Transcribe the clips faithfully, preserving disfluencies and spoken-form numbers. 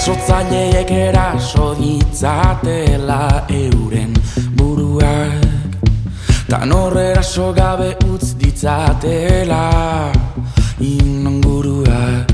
Sotzaileek eraso ditzatela euren buruak, tan horrera so gabe utz ditzatela inonguruak.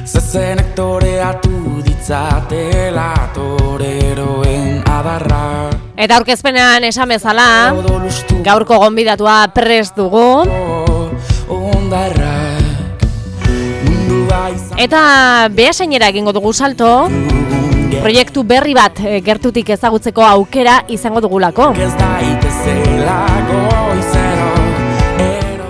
Zezenek toreatu ditzatela toreroen adarra. Eta aurkezpenean esan bezala, gaurko gonbidatua prest dugu. Eta behasainera egingo dugu salto, proiektu berri bat gertutik ezagutzeko aukera izango dugulako.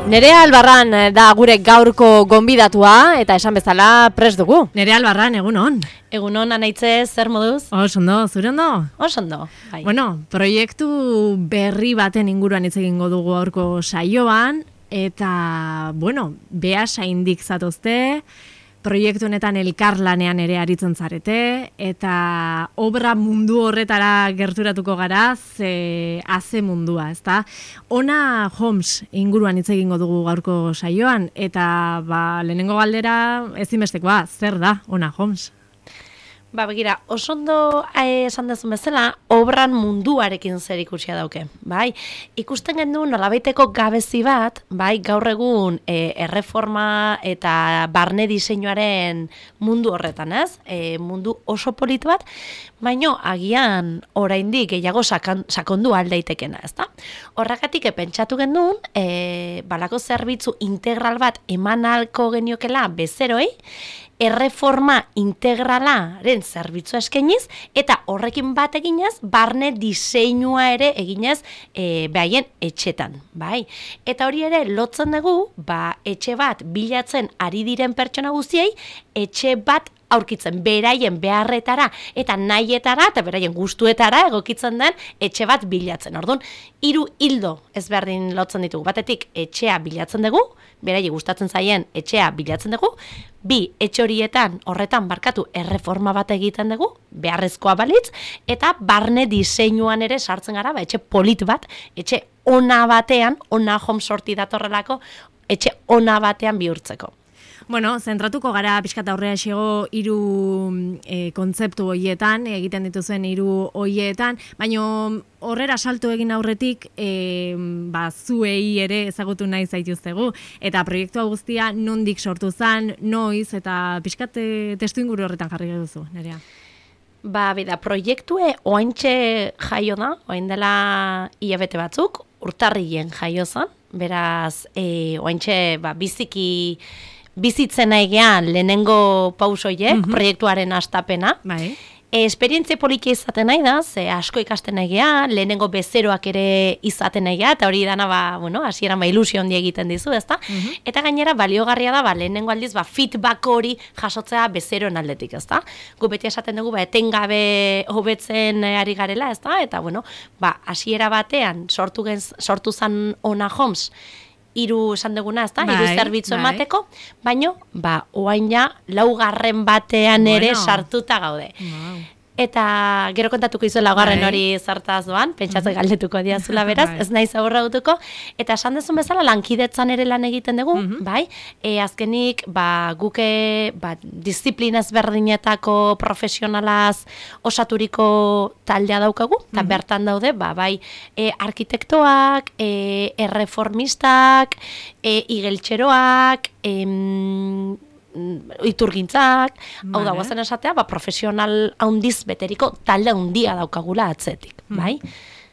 Nerea Albarran da gure gaurko gonbidatua eta esan bezala prest dugu. Nerea Albarran, egunon. Egunon, Anaitze, zer moduz? Oso ondo, zure ondo? Oso ondo, bai. Bueno, proiektu berri baten inguruan hitz egingo dugu gaurko saioan, eta, bueno, behasaindik zatozte, proiektu honetan elkarlanean ere aritzen zarete, eta obra mundu horretara gerturatuko gara, ze haze mundua, ezta? Ona Homes inguruan hitz egingo dugu gaurko saioan, eta ba, lehenengo galdera ezinbestekoa, zer da Ona Homes? Ba, begira, oso ondo eh, esan dezun bezala, obran munduarekin zer ikusia dauke, bai? Ikusten gendu nolabaiteko gabezi bat, bai, gaur egun eh, erreforma eta barne diseinuaren mundu horretan, ez? Eh, mundu oso polit bat, baino agian oraindik gehiago sakan, sakondu aldaitekena, ezta? Horregatik pentsatu gendun, eh, balako zerbitzu integral bat eman ahalko geniokela bezeroi, erreforma integralaren zerbitzua eskainiz eta horrekin bat eginez barne diseinua ere eginez e, behaien etxetan, bai. Eta hori ere lotzen dugu, ba, etxe bat bilatzen ari diren pertsona guztiei, etxe bat aurkitzen beraien beharretara eta nahietara eta beraien gustuetara egokitzen den etxe bat bilatzen. Orduan, hiru hildo ezberdin lotzen ditugu. Batetik etxea bilatzen dugu, beraiei gustatzen zaien etxea bilatzen dugu, bi etxe horietan horretan barkatu erreforma bat egiten dugu, beharrezkoa balitz, eta barne diseinuan ere sartzen gara, ba, etxe polit bat, etxe ona batean, Ona Homes sorti datorrelako, etxe ona batean bihurtzeko. Bueno, zentratuko gara pixkat aurrea xego hiru e, kontzeptu hoietan, egiten dituzuen hiru hoietan, baino horrera salto egin aurretik e, ba, zuei ere ezagutu nahi zaituztegu. Eta proiektua guztia nondik sortu zen, noiz, eta pixkat e, testu inguru horretan jarri duzu, Nerea. Ba, bida, proiektue oaintxe jaio da, oain dela hilabete batzuk, urtarrien jaio zen, beraz, e, oaintxe ba, biziki bizitzen egean lehenengo pausoiek, mm-hmm. proiektuaren hastapena. Bai. E, esperientzia politia izaten nahi da, ze asko ikasten egean, lehenengo bezeroak ere izaten egean, eta hori dana, ba, bueno, hasieran ba, ilusio handi egiten dizu, ezta? Mm-hmm. Eta gainera, baliogarria da, ba, lehenengo aldiz, ba, feedback hori jasotzea bezeroen aldetik, ezta? Gu beti esaten dugu, ba, etengabe hobetzen ari garela, ezta? Eta, bueno, ba, hasiera batean, sortu, genz, sortu zan Ona Homes, hiru esan duguna, ezta? Hiru bai, zerbitzu bai. emateko, baino, ba, oain ja, laugarren batean ere bueno. sartuta gaude. Wow. Eta gero kontatuko izu laugarren Bai. hori zertaz doan, pentsatzen galdetuko diazula beraz, Bai. ez naiz aurra gutuko, eta esan dezun bezala lankidetzan ere lan egiten dugu, Mhm. bai? E, azkenik, ba, guke ba, disiplina ezberdinetako profesionalaz osaturiko taldea daukagu, eta Mhm. bertan daude, ba, bai, e, arkitektoak, e, erreformistak, e, igeltxeroak, em, iturgintzak, hau da, Vale. guazen esatea, ba, profesional handiz beteriko talde handia daukagula atzetik, bai?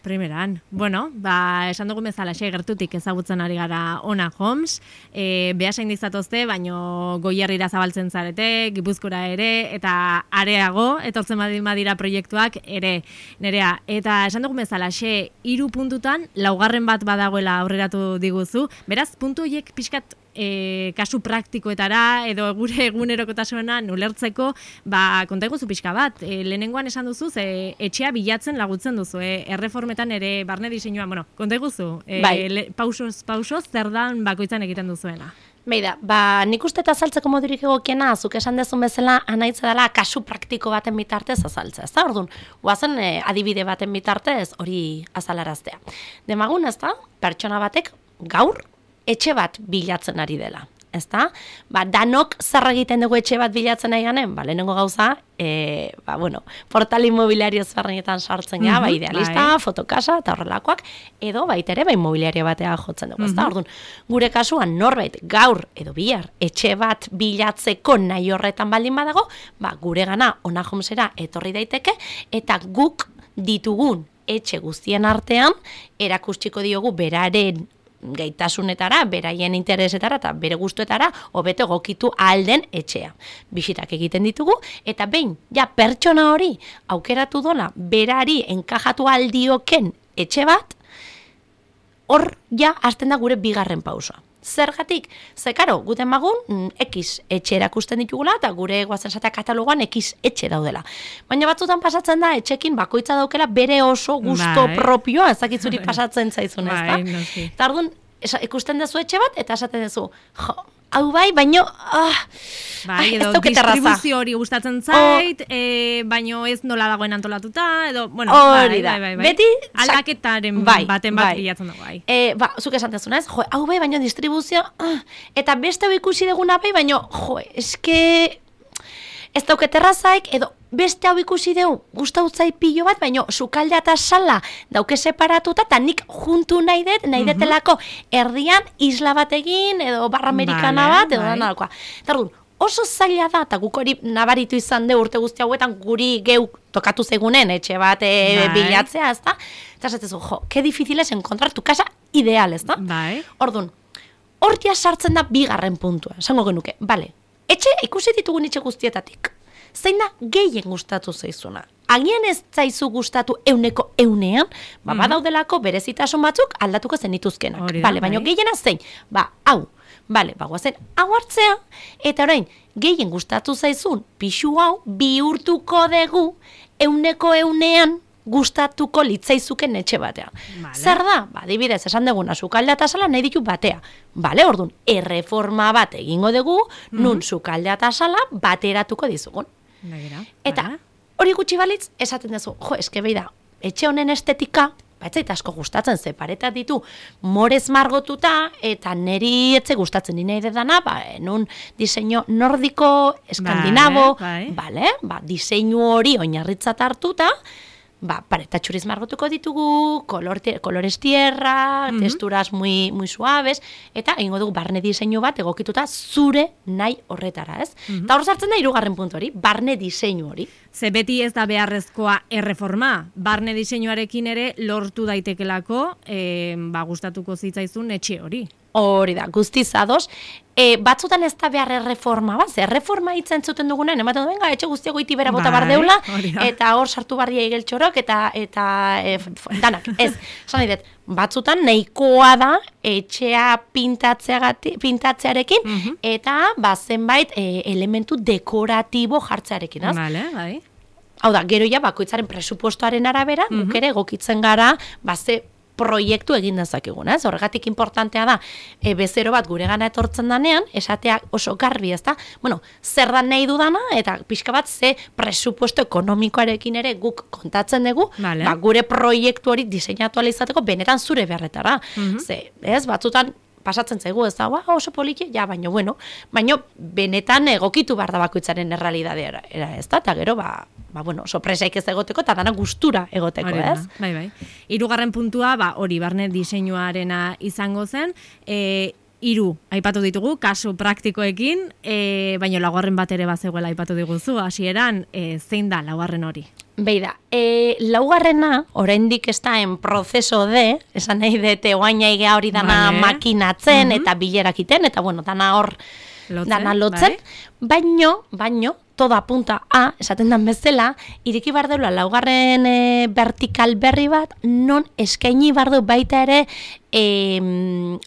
Primeran. Bueno, ba, esan dugu bezala xe gertutik ezagutzen ari gara Ona Homes, e, behasain dizatozte, baino Goierrira zabaltzen zarete, Gipuzkora ere, eta areago, etortzen badin badira proiektuak ere, Nerea. Eta esan dugu bezala xe hiru puntutan, laugarren bat badagoela aurreratu diguzu, beraz, puntu horiek pixkat E, kasu praktikoetara edo gure egunerokotasuna ulertzeko, ba, konta iguzu pixka bat. E, lehenengoan esan duzu, ze etxea bilatzen lagutzen duzu, e, erreformetan ere barne diseinuan, bueno, konta iguzu, e, Bai. le, pausoz, pausoz, zer dan bakoitzan egiten duzuena. Beida, ba, nik uste eta azaltzeko modurik egokiena, zuk esan dezun bezala, anaitza dela kasu praktiko baten bitartez azaltzea, ez da? Orduan, guazen e, adibide baten bitartez hori azalaraztea. Demagun, ez da, pertsona batek gaur etxe bat bilatzen ari dela. ezta? Ba, danok zer egiten dugu etxe bat bilatzen nahi ganen, ba, lehenengo gauza, e, ba, bueno, portal inmobiliario ezberdinetan sartzen gara, ba, idealista, bai. Fotokasa, eta horrelakoak, edo baita ere, ba, inmobiliario batea jotzen dugu, ezta? Orduan, gure kasuan norbait gaur edo bihar etxe bat bilatzeko nahi horretan baldin badago, ba, gure gana Ona Homesera etorri daiteke, eta guk ditugun etxe guztien artean, erakustiko diogu beraren gaitasunetara, beraien interesetara eta bere gustuetara hobeto egokitu alden etxea. Bisitak egiten ditugu eta behin ja pertsona hori aukeratu dola berari enkajatu aldioken etxe bat, hor ja hasten da gure bigarren pausoa. Zergatik, ze karo, guten magun, X etxe erakusten ditugula, eta gure guazen zatea katalogoan X etxe daudela. Baina batzutan pasatzen da, etxekin bakoitza daukela bere oso gusto bai. Propioa, ezakitzuri pasatzen zaizun, ez da? Bai, eta orduan, ikusten duzu etxe bat, eta esaten duzu, jo, hau bai, baino, ah, bai, edo distribuzio hori gustatzen zait, oh, e, baino ez nola dagoen antolatuta, edo, bueno, hori da, bai, bai, bai. Beti, aldaketaren bai, baten bat bai. bilatzen dago, bai. E, ba, zuk esan dezuna ez, jo, hau bai, baino distribuzio, ah, eta beste hau ikusi deguna bai, baino, jo, eske, ez dauket errazaik, edo beste hau ikusi dugu, gustautzai pilo bat, baino sukaldea eta sala dauke separatuta, eta nik juntu nahi dut, nahi detelako erdian isla bat egin, edo barra amerikana bat, edo da nalakoa. Eta oso zaila da, eta guk hori nabaritu izan de urte guzti hauetan guri geu tokatu zegunen, etxe bat e, bilatzea, ez da? Eta zatezu, jo, que difícil es encontrar tu casa ideal, ez da? Bai. Orduan, hor ja sartzen da bigarren puntua, esango genuke, bale, etxe ikusi ditugun etxe guztietatik, zein da gehien gustatu zaizuna. Agian ez zaizu gustatu euneko eunean, ba, mm-hmm. badaudelako berezitasun batzuk aldatuko zenituzkenak. Bale, baina gehiena zein, ba, hau, bale, ba, guazen, hau hartzea, eta orain, gehien gustatu zaizun, pixu hau, bihurtuko dugu, euneko eunean, gustatuko litzaizuken etxe batean. Vale. Zer da? Ba, adibidez, esan duguna, sukaldea eta sala nahi ditu batea. Bale, orduan, erreforma bat egingo dugu, mm-hmm. nun sukaldea eta sala bateratuko dizugun. Begira, eta hori gutxi balitz, esaten duzu, jo, eske behi da, etxe honen estetika, ba, etzait asko gustatzen, ze paretak ditu morez margotuta, eta neri etze gustatzen nina dana, ba, nun diseinu nordiko, eskandinabo, vale, vale, ba, diseinu hori oinarritzat hartuta, ba, paretatxuriz margotuko ditugu, color, colores tierra, mm-hmm. texturas muy, muy suaves, eta egingo dugu barne diseinu bat egokituta zure nahi horretara, ez? Mm-hmm. Eta hor sartzen da hirugarren puntu hori, barne diseinu hori. Ze beti ez da beharrezkoa erreforma, barne diseinuarekin ere lortu daitekelako, e, ba, gustatuko zitzaizun etxe hori. Hori da, guztiz ados. E, batzutan ez da behar erreforma, bat, ze erreforma hitzen zuten dugunen, ematen du, venga, etxe guztiago iti bera bota bar deula, eta hor sartu barria igeltxorok, eta, eta e, danak, ez, esan nahi dut, batzutan nahikoa da etxea pintatzearekin, mm-hmm. eta ba, zenbait e, elementu dekoratibo jartzearekin, az? Vale, bai. Hau da, gero ja, bakoitzaren presupuestoaren arabera, mm-hmm. guk ere egokitzen gara, ba, ze proiektu egin dezakegun, ez? Horregatik importantea da, e, bezero bat gure gana etortzen danean, esateak oso garbi, ez da? Bueno, zer da nahi dudana, eta pixka bat ze presupuesto ekonomikoarekin ere guk kontatzen dugu, vale. Ba, gure proiektu hori diseinatu ala izateko benetan zure beharretara. Mm-hmm. Ze, ez? Batzutan pasatzen zaigu, ez da, oso poliki, ja, baino, bueno, baino benetan egokitu behar da bakoitzaren errealidadea, ez da? Eta gero, ba, ba, bueno, sorpresaik ez egoteko, eta dana gustura egoteko, Horena, ez? Bai, bai. Hirugarren puntua, ba, hori, barne diseinuarena izango zen, e, hiru aipatu ditugu, kasu praktikoekin, e, baina laugarren bat ere bazegoela aipatu diguzu, hasieran e, zein da laugarren hori? Beida, e, laugarrena, oraindik ez da en proceso de, esan nahi dute oaina igea hori dana vale. Makinatzen, mm-hmm. eta bilerakiten, eta bueno, dana hor, lotzen, dana lotzen, bai. baino, baino, todo apunta a, esaten dan bezala, ireki bar deula laugarren e, vertikal berri bat, non eskaini bar du baita ere e,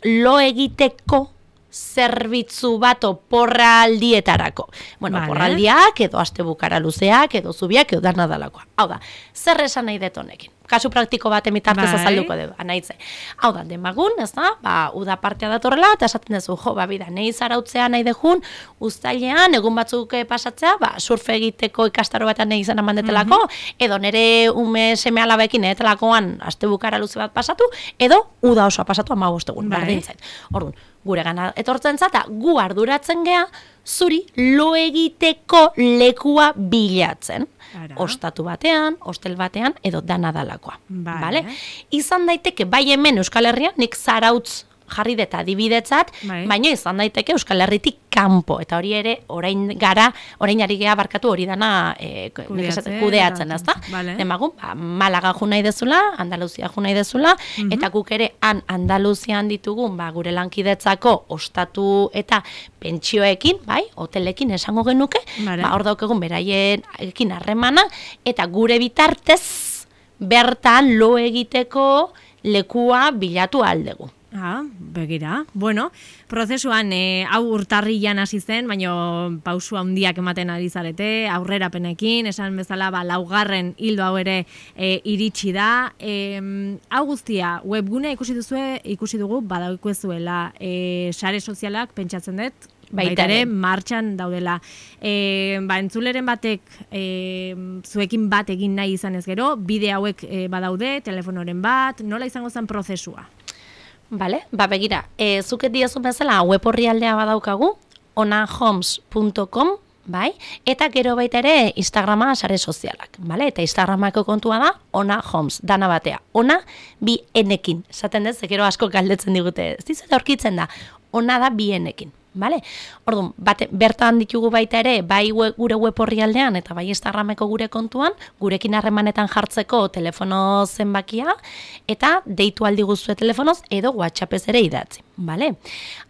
lo egiteko zerbitzu bat oporraldietarako. Bueno, vale. Oporraldiak, edo astebukara luzeak, edo zubiak, edo dana dalakoa. Hau da, zer esan nahi dut honekin? kasu praktiko bat emitartez Bai. azalduko dugu, anaitze. Hau da, demagun, ez da, ba, uda partea datorrela, eta esaten duzu, jo, ba, bida, nahi zarautzea nahi dejun, uztailean, egun batzuk pasatzea, ba, surfe egiteko ikastaro batean nahi izan amandetelako, edo nere ume seme alabekin egitelakoan astebukara luze bat pasatu, edo uda osoa pasatu hamabost egun, Bai. berdin zait. Orduan, gure gana etortzen zata, gu arduratzen gea, zuri lo egiteko lekua bilatzen. Ara. Ostatu batean, hostel batean, edo dana dalakoa. Vale. Vale? Izan daiteke, bai hemen Euskal Herrian, nik zarautz jarri deta adibidetzat, Bai. baina izan daiteke Euskal Herritik kanpo, eta hori ere, orain gara, orain ari gea barkatu hori dana e, Kudeatzen, kudeatzen, eta- ezta? Vale. Demagun, ba, Malaga jo nahi dezula, Andaluzia jo nahi dezula, eta guk ere han Andaluzian ditugun, ba, gure lankidetzako ostatu eta pentsioekin, bai, hotelekin esango genuke, Vale. ba, hor daukegun beraiekin harremana, eta gure bitartez bertan lo egiteko lekua bilatu aldegu. Ah, begira. Bueno, prozesuan e, hau urtarrilan hasi zen, baina pausu handiak ematen ari zarete, aurrerapenekin, esan bezala ba, laugarren hildo hau ere e, iritsi da. E, hau guztia, webgunea ikusi duzue, ikusi dugu, badaukuezuela e, sare sozialak pentsatzen dut, Baita baita ere ere. martxan daudela. E, ba, entzuleren batek e, zuekin bat egin nahi izan ez gero, bide hauek e, badaude, telefonoren bat, nola izango zen prozesua? Vale, ba begira, e, zuket diazun bezala web orrialdea badaukagu, onahomes punto com, bai? Eta gero baita ere Instagrama sare sozialak, bale? Eta Instagramako kontua da onahomes, dana batea. Ona bi enekin. Esaten dez, gero asko galdetzen digute. Ez dizuet aurkitzen da, ona da bi enekin. Vale? Orduan, bate, bertan ditugu baita ere, bai we, gure web orrialdean eta bai Instagrameko gure kontuan, gurekin harremanetan jartzeko telefono zenbakia, eta deitu aldi guztue telefonoz edo WhatsAppez ere idatzi. Vale?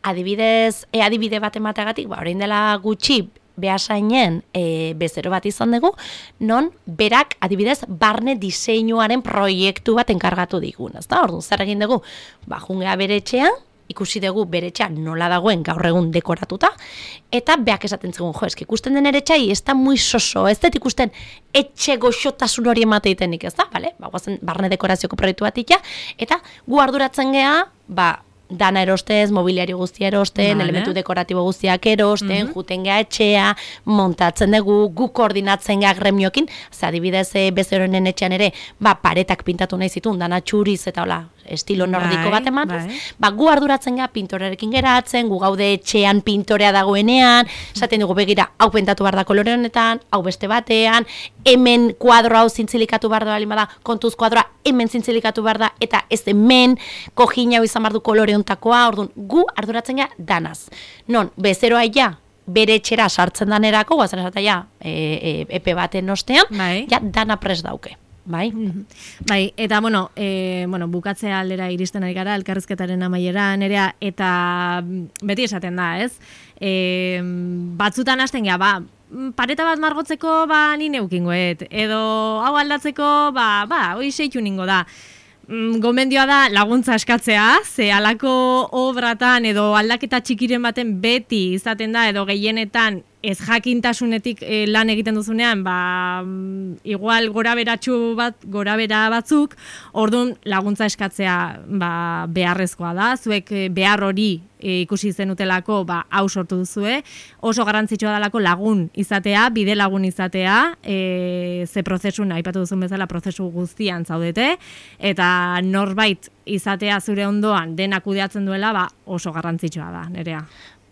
Adibidez, e, adibide bat emateagatik, ba, orain dela gutxi, behasainen e, bezero bat izan dugu, non berak adibidez barne diseinuaren proiektu bat enkargatu digun, ezta? Orduan, zer egin dugu? Ba, jungea bere etxean, ikusi dugu bere etxea nola dagoen gaur egun dekoratuta, eta beak esaten zigun, jo, eski ikusten den ere etxai, ez da muy soso, ez dut ikusten etxe goxotasun hori emateitenik, ez da? Bale? Ba, guazen barne dekorazioko proiektu bat ikia, eta gu arduratzen gea, ba, dana erostez, mobiliario guztia erosten, Vale. elementu dekoratibo guztiak erosten, Mhm. juten gea etxea, montatzen dugu, gu koordinatzen gea gremiokin, ze adibidez e, bezeroenen etxean ere, ba, paretak pintatu nahi zitun, dana txuriz eta hola, estilo nordiko Bai, bat emanez, bai. ba, gu arduratzen gea pintorerekin geratzen, gu gaude etxean pintorea dagoenean, esaten dugu begira, hau pentatu behar da kolore honetan, hau beste batean, hemen kuadro hau zintzilikatu behar da, balin bada, kontuz kuadroa hemen zintzilikatu behar da, eta ez hemen, kojin hau izan behar du kolore hontakoa, orduan, gu arduratzen gea danaz. Non, bezeroa ja, bere etxera sartzen danerako, guazen esatea ja, e, e, epe baten ostean, Bai. ja, dana prest dauke. Bai? Bai, eta bueno, e, bueno, bukatzea aldera iristen ari gara, elkarrizketaren amaiera, nerea, eta mm, beti esaten da, ez? E, batzutan hasten gea, ba, mm, pareta bat margotzeko, ba, ni neukingoet, edo hau aldatzeko, ba, ba, hoi seitu ningo da. Mm, Gomendioa da laguntza eskatzea, ze halako obratan edo aldaketa txikiren baten beti izaten da, edo gehienetan ez jakintasunetik e, lan egiten duzunean, ba, mm, igual gora beratxu bat, gora bera batzuk, orduan laguntza eskatzea ba, beharrezkoa da, zuek e, behar hori e, ikusi zenutelako ba, hau sortu duzue, oso garrantzitsua dalako lagun izatea, bide lagun izatea, e, ze prozesun, aipatu duzun bezala, prozesu guztian zaudete, eta norbait izatea zure ondoan dena kudeatzen duela, ba, oso garrantzitsua da, nerea.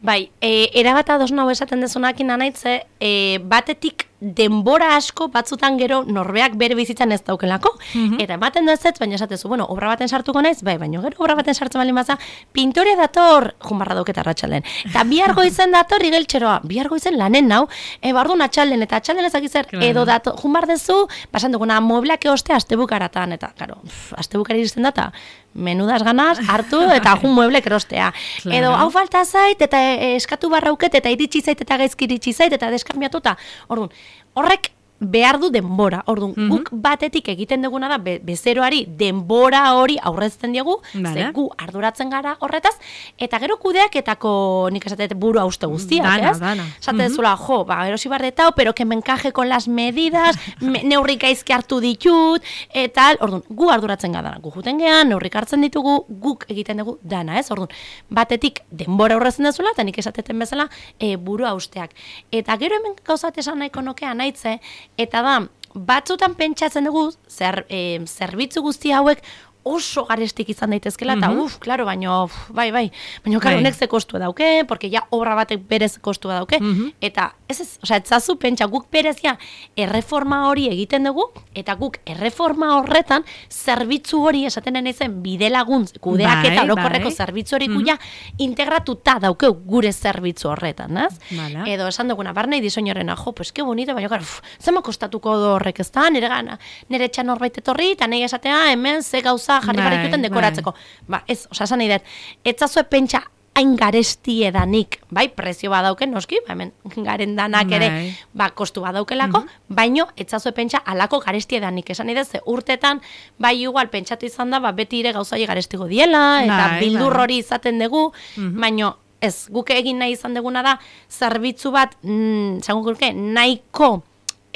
Bai, e, erabat ados nau esaten dezunakin anaitze, e, batetik denbora asko batzutan gero norbeak bere bizitzan ez daukelako, eta ematen da ez, baina esatezu, bueno, obra baten sartuko naiz, bai, baina gero obra baten sartzen baldin baza, pintore dator, junbarra dauketa arratsalden, eta bihar goizen dator igeltxeroa, bihar goizen lanen nau, e, bardun atxalden, eta atxalden ezakizer, Claro. edo dator, junbar dezu, pasan duguna, moblak eoste astebukaratan, eta, karo, astebukara iristen data, menudas ganas, hartu, eta jun mueblek erostea. Claro. Edo, hau falta zait, eta e, eskatu barrauket, eta iritsi zait, eta gaizki iritsi zait, eta deskambiatuta. Orduan, horrek behar du denbora. Orduan, Mhm. guk batetik egiten duguna da be, bezeroari denbora hori aurrezten diegu, Vale. ze gu arduratzen gara horretaz, eta gero kudeaketako nik esatet buru hauste guztiak, Dana, ez? dana. Esate dezula, jo, ba, erosi bardetau, pero que me encaje con las medidas, me, neurrik gaizki hartu ditut, eta, orduan, gu arduratzen gara, gu juten gean, neurrik hartzen ditugu, guk egiten dugu dana, ez? Orduan, batetik denbora aurrezen dezula, eta nik esateten bezala, e, buru hausteak. Eta gero hemen gauzat esan nahiko nokea naitze, eta da, batzutan pentsatzen dugu, zer, e, zerbitzu guzti hauek oso garestik izan daitezkela, eta Mhm. uf, klaro, baino, uf, bai, bai, baino, klaro, Bai. honek ze kostua dauke, porque ja obra batek berez kostua dauke, Mhm. eta ez ez, osea, etzazu pentsa, guk berezia erreforma hori egiten dugu, eta guk erreforma horretan zerbitzu hori esaten nahi zen bidelagun kudeaketa Bai, orokorreko bai. zerbitzu hori guia integratuta daukeu gure zerbitzu horretan, ez? Vale. Edo esan duguna, barnei diseñorena, jo, pues que bonito, baina gara, uf, zema kostatuko do horrek ez da, nire gana, nire etxan norbait etorri, eta nahi esatea, hemen ze gauza jarri Bai, barikuten bai. dekoratzeko. Ba, ez, osea, esan nahi dut, etzazue pentsa hain garesti edanik, bai, prezio badauken, noski, ba, hemen garen danak ere, Bai. ba, kostu badaukelako, baino, etzazue pentsa alako garesti edanik, esan nahi dut, ze urtetan, bai, igual, pentsatu izan da, ba, beti ire gauzai garestigo diela, eta Bai, bildur bai. hori izaten dugu, baino, ez, guk egin nahi izan duguna da, zerbitzu bat, mm, zango gurke, nahiko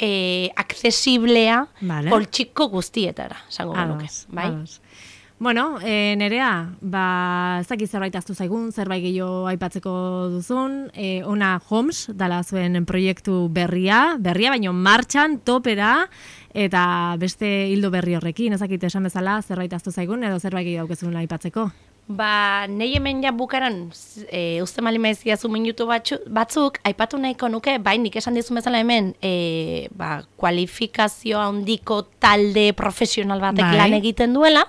eh, aksesiblea Vale. poltsiko guztietara, zango genuke, Ados, bai? ados. Bueno, e, Nerea, ba, ez dakit zerbait aztu zaigun, zerbait gehiago aipatzeko duzun, e, ona Homes, dala zuen proiektu berria, berria, baino martxan, topera, eta beste hildo berri horrekin, ez dakit esan bezala, zerbait aztu zaigun, edo zerbait gehiago daukezun aipatzeko. Ba, nahi hemen ja bukaran, e, uste mali maiziazu minutu batzu, batzuk, aipatu nahiko nuke, bai, nik esan dizun bezala hemen, e, ba, kualifikazio handiko talde profesional batek Bai. lan egiten duela,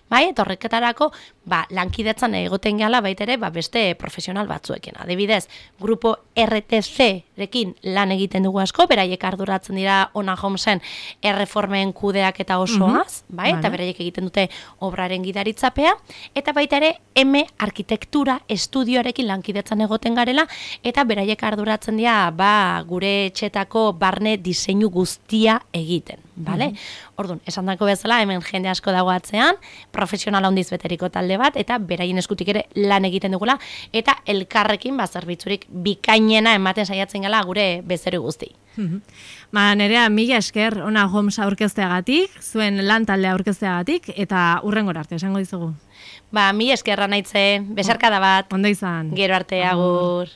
bai, eta horreketarako, ba, lankidetzan egoten gehala baitere, ba, beste profesional batzuekin. Adibidez, grupo R T C-rekin lan egiten dugu asko, beraiek arduratzen dira Ona Homesen erreformen kudeak eta osoaz, bai, eta Vale. beraiek egiten dute obraren gidaritzapea, eta baita ere M arkitektura estudioarekin lankidetzan egoten garela, eta beraiek arduratzen dira, ba, gure etxetako barne diseinu guztia egiten, bale? Orduan, esan dako bezala, hemen jende asko dago atzean, profesional handiz beteriko talde bat, eta beraien eskutik ere lan egiten dugula, eta elkarrekin, ba, zerbitzurik bikainena ematen saiatzen gala gure bezero guzti. Mhm. Ba, Nerea, mila esker, Ona Homes aurkezteagatik, zuen lan talde aurkezteagatik, eta urrengora arte, esango dizugu. Ba, mi eskerra naitze, besarkada bat, Ondo izan. gero arte, agur.